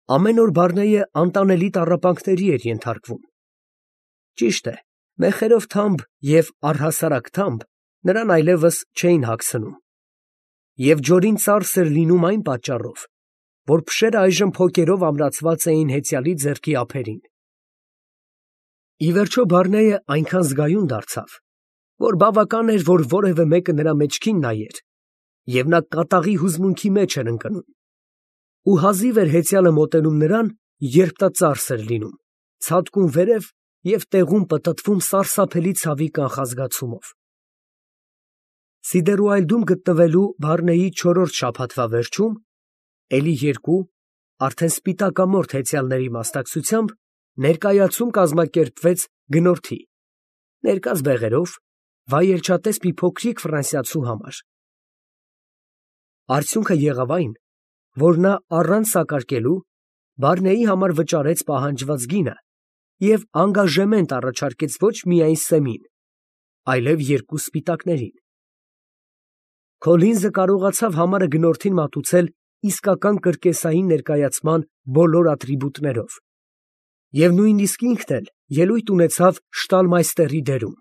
Ամեն օր Բարնեյը անտանելի տառապանքների էր ենթարկվում։ Ճիշտ է, մեխերով թամբ և առհասարակ թամբ նրան այլևս չէին հագցնում, և ջորին ծարս էր լինում այն պատճառով, որ փշերը այժմ փոկերով ամրացված էին հեծյալի ձեռքի ափերին։ Ի վերջո Բարնեյը այնքան զգայուն դարձավ, որ բավական էր, որ որևէ մեկը նրա մեջքին նայեր, և նա կատաղի հուզմունքի մեջ էր ընկնում, ու հազիվ էր հեծյալը մոտենում նրան, երբ նա ծարս էր լինում, ցատկում վերև և տեղում պտտվում սարսափելի ցավի կանխազգացումով։ Սիդերուայլդում գտնվելու Բարնեյի չորրորդ շաբաթվա վերջում, էլի երկու, արդեն սպիտակամորթ հեծյալների մասնակցությամբ, ներկայացում կազմակերպվեց գնորդի, ներկած բեղերով, վայելչատես մի փոքրիկ ֆրանսիացու համար։ Արդյունքը եղավ այն, որ նա առանց սակարկելու Բարնեյի համար վճարեց պահանջված գինը և անգաժեմենտ առաջարկեց ոչ միայն սեմին, այլև երկու սպիտակներին։ Քոլինզը կարողացավ համարը գնորդին մատուցել իսկական կրկեսային ներկայացման բոլոր ատրիբուտներով, և նույնիսկ ինքն էլ ելույթ ունեցավ շտալմայստերի դերում։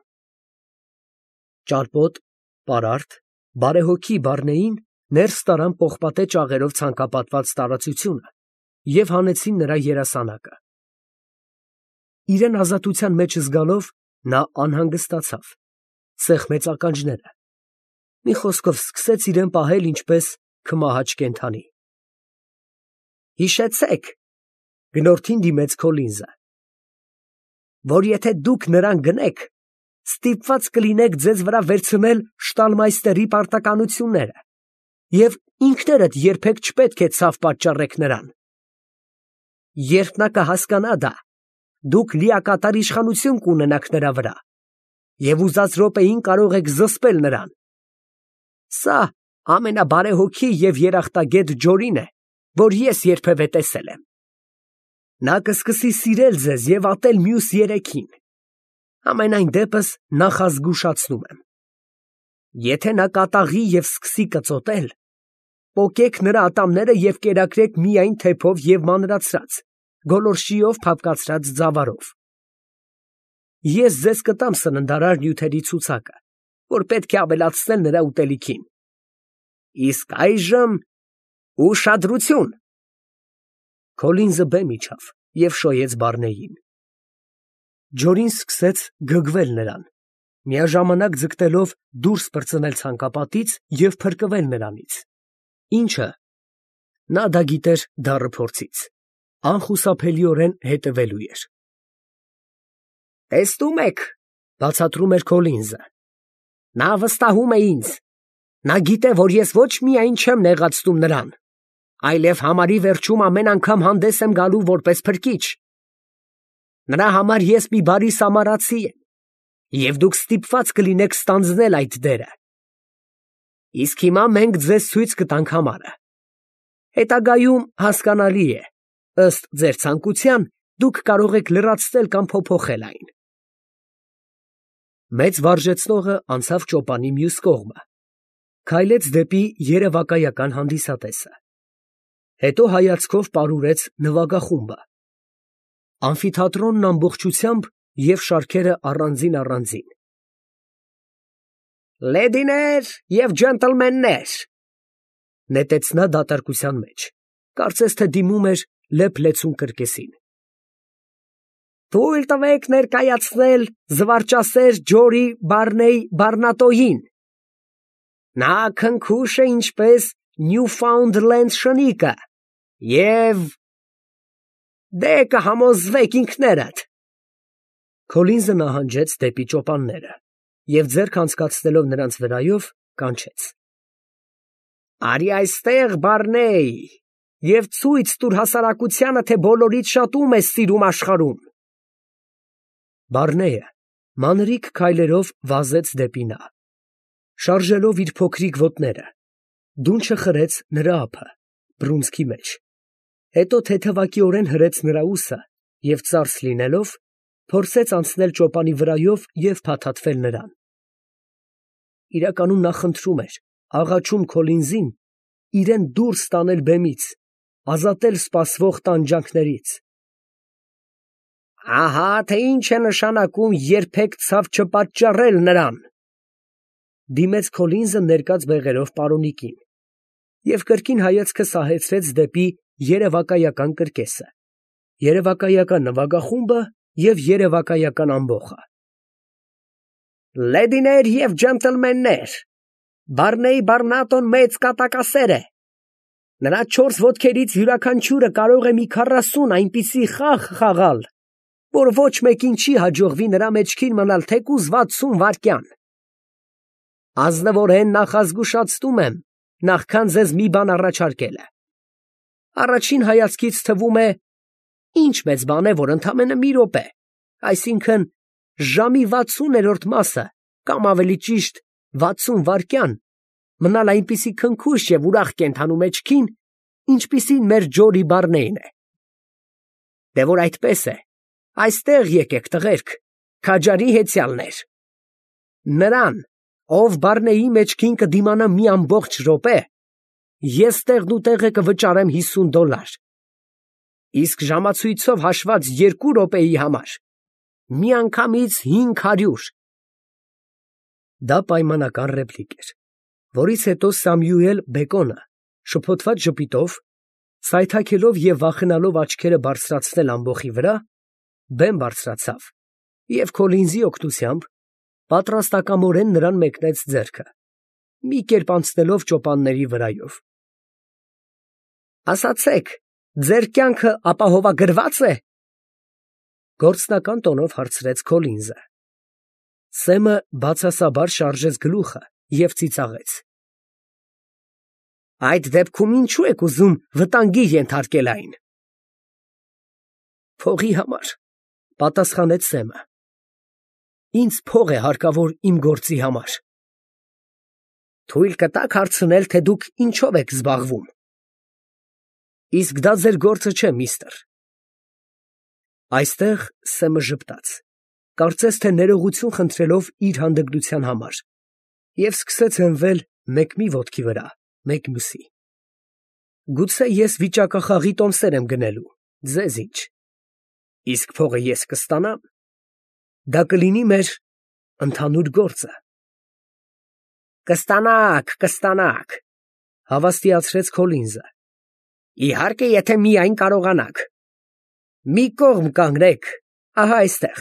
Ճարպոտ, պարարտ, բարեհոգի Բարնեին ներս տարան պողպատե ճաղերով ցանկապատված տարածությունը և հանեցին նրա երասանակը։ Իրան ազատության մեջ զգալով, նա անհանգստացավ, սեղմեց ականջները, մի խոսքով սկսեց իրան պահել ինչպես քմահաճ կենդանի։ Հիշեցեք, գնորդին դիմեց Քոլինզը, որ եթե դուք նրան գնեք, ստիպված կլինեք ձեզ վրա վերցնել շտալմայստերի պարտականությունները և ինքներդ երբեք չպետք է ցավ պատճառեք նրան։ Երբ նա կհասկանա դա, դուք լիակատար իշխանություն կունենաք նրա վրա և ուզած րոպեին կարող եք զսպել նրան։ Սա ամենաբարեհոգի և երախտագետ Ջորին է, որ ես երբևէ տեսել եմ։ Նա կսկսի սիրել ձեզ և ատել մյուս երեքին։ Համենայն դեպս նախազգուշացնում եմ. եթե նա կատաղի և սկսի կծոտել, պոկեք նրա ատամները և կերակրեք միայն թեփով և մանրացրած, գոլորշիով փափկացրած ձավարով։ Ես ձեզ կտամ սննդարար նյութերի ցուցակը, որ պետք է ավելացնել նրա ուտելիքին։ Իսկ այժմ ուշադրություն։ Քոլինզը բեմ իջավ և շոյեց Բարնեյին։ Ջորին սկսեց գգվել նրան, միաժամանակ ձգտելով դուրս պրծնել ցանկապատից և փրկվել նրանից, ինչը, նա դա գիտեր դառը փորձից, անխուսափելիորեն հետևելու էր։ Տեսնում եք, բացատրում էր Քոլինզը, նա վստահում է ինձ, նա գիտե, որ ես ոչ միայն չեմ նեղացնում նրան, այլև համարի վերջում ամեն անգամ հանդես եմ գալու որպես փրկիչ։ Նրա համար ես մի բարի սամարացի եմ, և դուք ստիպված կլինեք ստանձնել այդ դերը։ Իսկ հիմա մենք ձեզ ցույց կտանք համարը։ Հետագայում, հասկանալի է, ըստ ձեր ցանկության, դուք կարող եք լրացնել կամ փոփոխել այն։ Մեծ վարժեցնողը անցավ ճոպանի մյուս կողմը, քայլեց դեպի երևակայական հանդիսատեսը, հետո հայացքով պարուրեց նվագախումբը, ամֆիթատրոնն ամբողջությամբ և շարքերը առանձին։ Լեդիներ և ջենտլմեններ, նետեց նա դատարկության մեջ, կարծես թե դիմում էր լեփ-լեցուն կրկեսին։ Թույլ տվեք ներկայացնել զվարճասեր Ջորի Բարնեյ Բարնատոյին։ Նա քնքուշ է ինչպես Նյուֆաունդլենդ շնիկը և… դե կհամոզվեք ինքներդ։ Քոլինզը նահանջեց դեպի ճոպանները և ձեռք անցկացնելով նրանց վրայով, կանչեց. Արի այստեղ, Բարնեյ, և ցույց տուր հասարակությանը, թե բոլորից շատ ում ես սիրում աշխարհում։ Բարնեյը մանրիկ քայլերով վազեց դեպի նա, շարժելով իր փոքրիկ ոտները, դունչը խրեց նրա ափը, բռունցքի մեջ, հետո թեթևակիորեն հրեց նրա ուսը և ծարս լինելով, փորձեց անցնել ճոպանի վրայով և փաթաթվել նրան։ Իրականում նա խնդրում էր, աղաչում Քոլինզին իրան դուրս տանել բեմից, ազատել սպասվող տանջանքներից։ Ահա թե ինչ է նշանակում երբեք ցավ չպատճառել նրան, դիմեց Քոլինզը ներկած բեղերով պարոնիկին և կրկին հայացքը սահեցրեց դեպի երևակայական կրկեսը, երևակայական նվագախումբը և երևակայական ամբոխը։ Լեդիներ և ջենտլմեններ, Բարնեյ Բարնատոն մեծ կատակասեր է։ Նրա 4 ոտքերից յուրաքանչյուրը կարող է մի 40 այնպիսի խաղ խաղալ, որ ոչ մեկին չի հաջողվի նրա մեջքին մնալ թեկուզ 60 վայրկյան։ Ազնվորեն նախազգուշացնում եմ, նախքան ձեզ մի բան առաջարկելը։ Առաջին հայացքից թվում է, ինչ մեծ բան է, որ ընդամենը մի րոպե, այսինքն ժամի 60-րդ մասը, կամ ավելի ճիշտ 60 վայրկյան, մնալ այնպիսի քնքուշ և ուրախ կենդանու մեջքին, ինչպիսին մեր Ջորի Բարնեյն է։ Դե որ այդպես է, այստեղ եկեք, տղերք, քաջարի հեծյալներ։ Նրան, ով Բարնեյի մեջքին կդիմանա մի ամբողջ րոպե, ես տեղնուտեղը կվճարեմ $50, իսկ ժամացույցով հաշված 2 րոպեի համար միանգամից 500։ Դա պայմանական ռեպլիկ էր, որից հետո Սամյուել Բեկոնը շփոթված ժպիտով, սայթաքելով և վախենալով աչքերը բարձրացնել ամբոխի վրա, բեմ բարձրացավ և Քոլինզի օգնությամբ պատրաստակամորեն նրան մեկնեց ձեռքը, մի կերպ անցնելով ճոպանների վրայով։ Ասացեք, ձեր կյանքը ապահովագրվա՞ծ է, գործնական տոնով հարցրեց Քոլինզը։ Սեմը բացասաբար շարժեց գլուխը և ծիծաղեց։ Այդ դեպքում ինչու եք ուզում վտանգի ենթարկել այն։ Փողի համար, պատասխանեց Սեմը։ Ինձ փող է հարկավոր իմ գործի համար։ Թույլ կտաք հարցնել, թե դուք ինչով եք զբաղվում։ Իսկ դա ձեր գործը չէ, միստր։ Այստեղ Սեմը ժպտաց, կարծես թե ներողություն խնդրելով իր հանդգնության համար, և սկսեց հենվել մեկ մի ոտքի վրա, մեկ մյուսի։ Գուցե ես վիճակախաղի տոմսեր եմ գնելու, ձեզ ինչ։ Իսկ փողը ես կստանամ։ Դա կլինի մեր ընդհանուր գործը։ Կստանաք, հավաստիացրեց Քոլինզը։ Իհարկե, եթե միայն կարողանաք։ Մի կողմ կանգնեք, ահա այստեղ,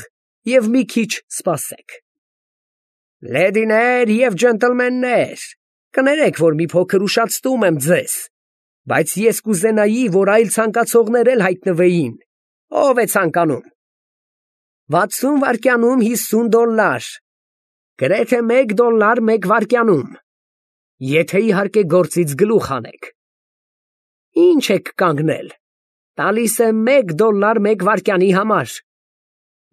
և մի քիչ սպասեք։ Լեդիներ և ջենտլմեններ, կներեք, որ մի փոքր ուշացնում եմ ձեզ, բայց ես կուզենայի, որ այլ ցանկացողներ էլ հայտնվեին, ով է ցանկանում։ 60 վայրկյանում $50, գրեթե $1 մեկ վայրկյանում, եթե իհարկե գործից գլուխ հանեք։ Ինչ եք կանգնել, տալիս եմ $1 մեկ վայրկյանի համար,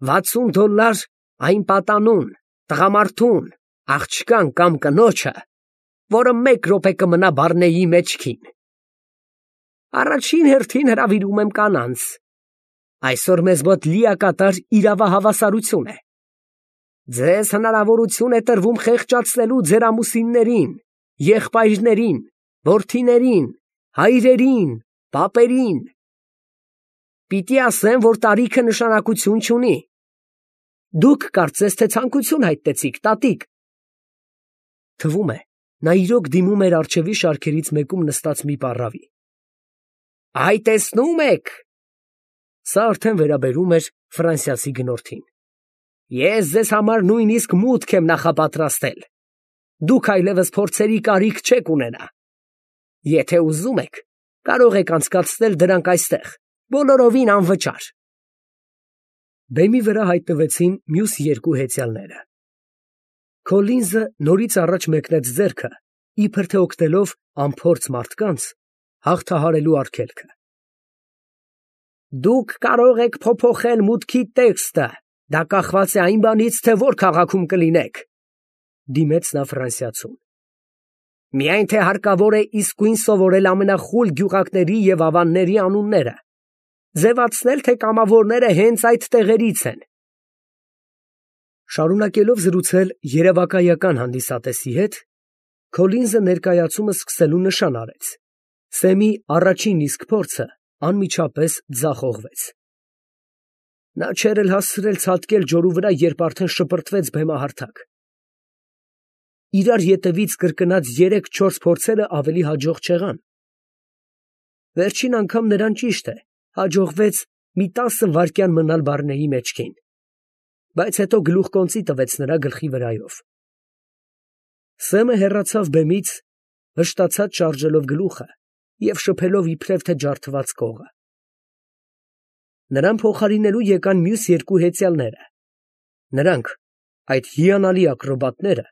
$60 այն պատանուն, տղամարդուն, աղջկան կամ կնոջը, որը 1 րոպե կմնա Բարնեյի մեջքին։ Առաջին հերթին հրավիրում եմ կանանց։ Այսօր մեզ մոտ լիակատար իրավահավասարություն է։ Ձեզ հնարավորություն է տրվում խեղճացնելու ձեր ամուսիններին, եղբայրներին, որդիներին, հայրերին, պապերին։ Պիտի ասեմ, որ տարիքը նշանակություն չունի։ Դուք կարծես թե ցանկություն հայտնեցիք, տատիկ։ Թվում է, նա իրոք դիմում էր առջևի շարքերից մեկում նստած մի պառավի։ Այ տեսնում եք։ Սա արդեն վերաբերում էր ֆրանսիացի գնորդին։ Ես ձեզ համար նույնիսկ մուտք եմ նախապատրաստել։ Դուք այլևս փորձերի կարիք չեք ունենա։ Եթե ուզում եք, կարող եք անցկացնել դրանք այստեղ, բոլորովին անվճար։ Բեմի վրա հայտնվեցին մյուս 2 հեծյալները։ Քոլինզը նորից առաջ մեկնեց ձեռքը, իբր թե օգնելով անփորձ մարդկանց հաղթահարելու արգելքը։ Դուք կարող եք փոփոխել մուտքի տեքստը, դա կախված է այն բանից, թե որ քաղաքում կլինեք, դիմեց նա ֆրանսիացուն։ Միայն թե հարկավոր է իսկույն սովորել ամենախուլ գյուղակների և ավանների անունները, ձևացնել, թե կամավորները հենց այդ տեղերից են։ Շարունակելով զրուցել երևակայական հանդիսատեսի հետ, Քոլինզը ներկայացումը սկսելու նշան արեց Սեմի առաջին իսկ փորձը անմիջապես ձախողվեց։ Նա չէր էլ հասցրել ցատկել ջորու վրա, երբ արդեն շպրտվեց բեմահարթակ։ Իրար ետևից կրկնած 3-4 փորձերը ավելի հաջող չեղան։ Վերջին անգամ նրան ճիշտ է, հաջողվեց մի 10 վայրկյան մնալ Բարնեի մեջքին, բայց հետո գլուխկոնծի տվեց նրա գլխի վրայով։ Սեմը հեռացավ բեմից, վշտացած շարժելով գլուխը և շփելով իբրև թե ջարդված կողը։ Նրան փոխարինելու եկան մյուս երկու հեծյալները։ Նրանք, այդ հիանալի ակրոբատները,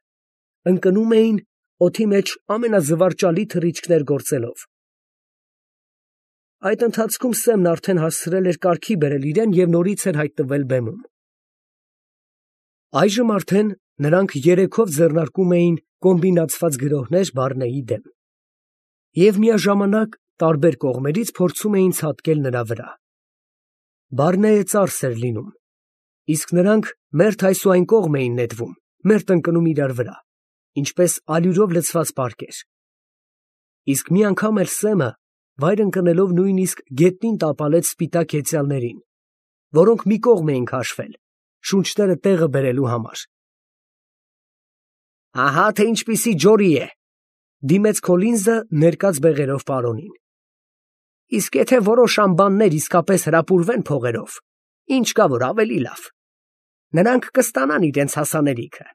ընկնում էին օդի մեջ ամենազվարճալի թռիչքներ գործելով։ Այդ ընթացքում Սեմն արդեն հասցրել էր կարգի բերել իրեն և նորից էր հայտնվել բեմում։ Այժմ արդեն նրանք երեքով ձեռնարկում էին կոմբինացված գրոհներ Բարնեի դեմ և միաժամանակ տարբեր կողմերից փորձում էին ցատկել նրա վրա։ Բարնեը ծարս էր լինում, իսկ նրանք մերթ այս ու այն կողմ էին նետվում, մերթ ընկնում իրար վրա, ինչպես ալյուրով լցված պարկեր։ Իսկ մի անգամ էլ Սեմը վայր ընկնելով նույնիսկ գետնին տապալեց սպիտակ հեծյալներին, որոնք մի կողմ էին քաշվել, շունչները տեղը բերելու համար։ Ահա թե ինչպիսի ջորի է, դիմեց Քոլինզը ներկած բեղերով պարոնին։ Իսկ եթե որոշ անբաններ իսկապես հրապուրվեն փողերով, ինչ կա որ ավելի լավ, նրանք կստանան իրենց հասանելիքը։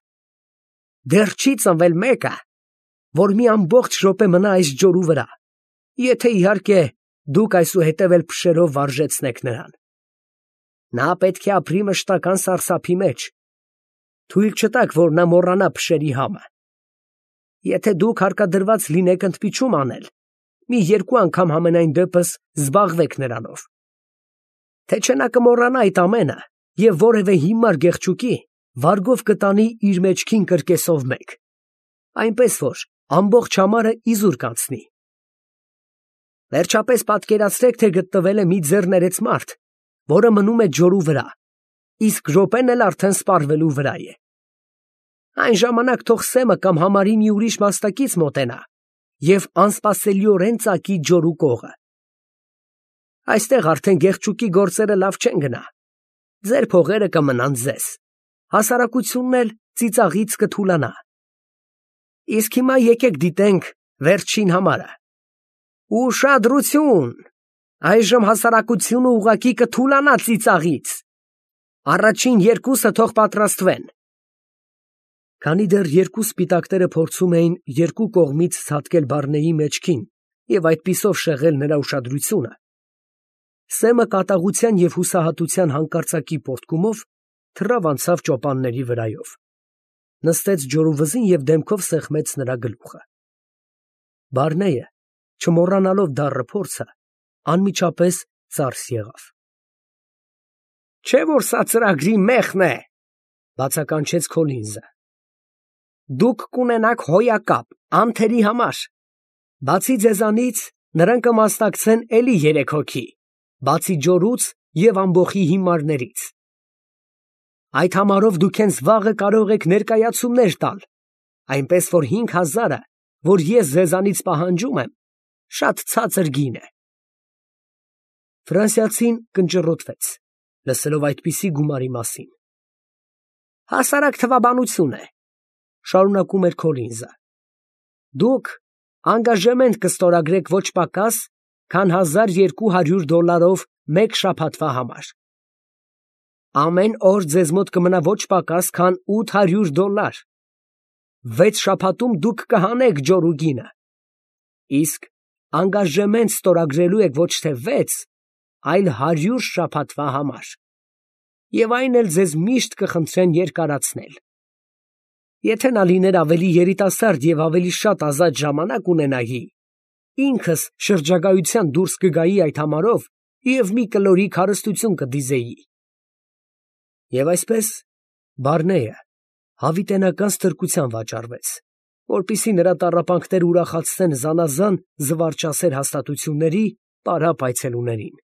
Դեռ չի ծնվել մեկը, որ մի ամբողջ րոպե մնա այս ջորու վրա, եթե իհարկե դուք այսուհետև էլ փշերով վարժեցնեք նրան։ Նա պետք է ապրի մշտական սարսափի մեջ, թույլ չտաք, որ նա մոռանա փշերի համը։ Եթե դուք հարկադրված լինեք ընդմիջում անել, մի 2 անգամ համենայն դեպս զբաղվեք նրանով։ Թե չէ նա կմոռանա այդ ամենը և որևէ հիմար գեղչուկի վարգով կտանի իր մեջքին կրկեսով մեկ, այնպես որ ամբողջ համարը իզուր կանցնի։ Վերջապես պատկերացրեք, թե գտնվել է մի ձեռներեց մարդ, որը մնում է ջորու վրա, իսկ րոպեն էլ արդեն սպառվելու վրա է։ Այն ժամանակ թող Սեմը կամ համարի մի ուրիշ մասնակից մոտենա և անսպասելիորեն ծակի ջորու կողը։ Այստեղ արդեն գեղչուկի գործերը լավ չեն գնա։ Ձեր փողերը կմնան ձեզ, հասարակությունն էլ ծիծաղից կթուլանա։ Իսկ հիմա եկեք դիտենք վերջին համարը։ Ուշադրություն, այժմ հասարակությունը ուղղակի կթուլանա ծիծաղից։ Առաջին 2-ը թող պատրաստվեն։ Քանի դեռ երկու սպիտակները փորձում էին երկու կողմից ցատկել Բարնեի մեջքին և այդպիսով շեղել նրա ուշադրությունը, Սեմը կատաղության և հուսահատության հանկարծակի պոռթկումով թռավ անցավ ճոպանների վրայով, նստեց ջորու վզին և դեմքով սեղմեց նրա գլուխը։ Բարնեը, չմոռանալով դառը փորձը, անմիջապես ծարս եղավ։ Չէ՞ որ սա ծրագրի մեղքն է, բացականչեց Քոլինզը։ Դուք կունենաք հոյակապ, անթերի համար։ Բացի ձեզանից, նրան կմասնակցեն էլի 3 հոգի, բացի ջորուց և ամբոխի հիմարներից։ Այդ համարով դուք հենց վաղը կարող եք ներկայացումներ տալ, այնպես որ 5000-ը, որ ես ձեզանից պահանջում եմ, շատ ցածր գին է։ Ֆրանսիացին կնճռոտվեց, լսելով այդպիսի գումարի մասին։ Հասարակ թվաբանություն է, շարունակում էր Քոլինզը։ Դուք անգաժեմենտ կստորագրեք ոչ պակաս, քան $1200 մեկ շաբաթվա համար։ Ամեն օր ձեզ մոտ կմնա ոչ պակաս, քան $800։ 6 շաբաթում դուք կհանեք ջորու գինը։ Իսկ անգաժեմենտ ստորագրելու եք ոչ թե 6, այլ 100 շաբաթվա համար։ Եվ այն էլ ձեզ միշտ կխնդրեն երկարացնել։ Եթե նա լիներ ավելի երիտասարդ և ավելի շատ ազատ ժամանակ ունենայի, ինքս շրջագայության դուրս կգայի այդ համարով և մի կլորիկ հարստություն կդիզեի։ Եվ այսպես Բարնեը հավիտենական ստրկության վաճառվեց, որպեսզի նրա տառապանքները ուրախացնեն զանազան զվարճասեր հաստատությունների պարապ այցելուներին։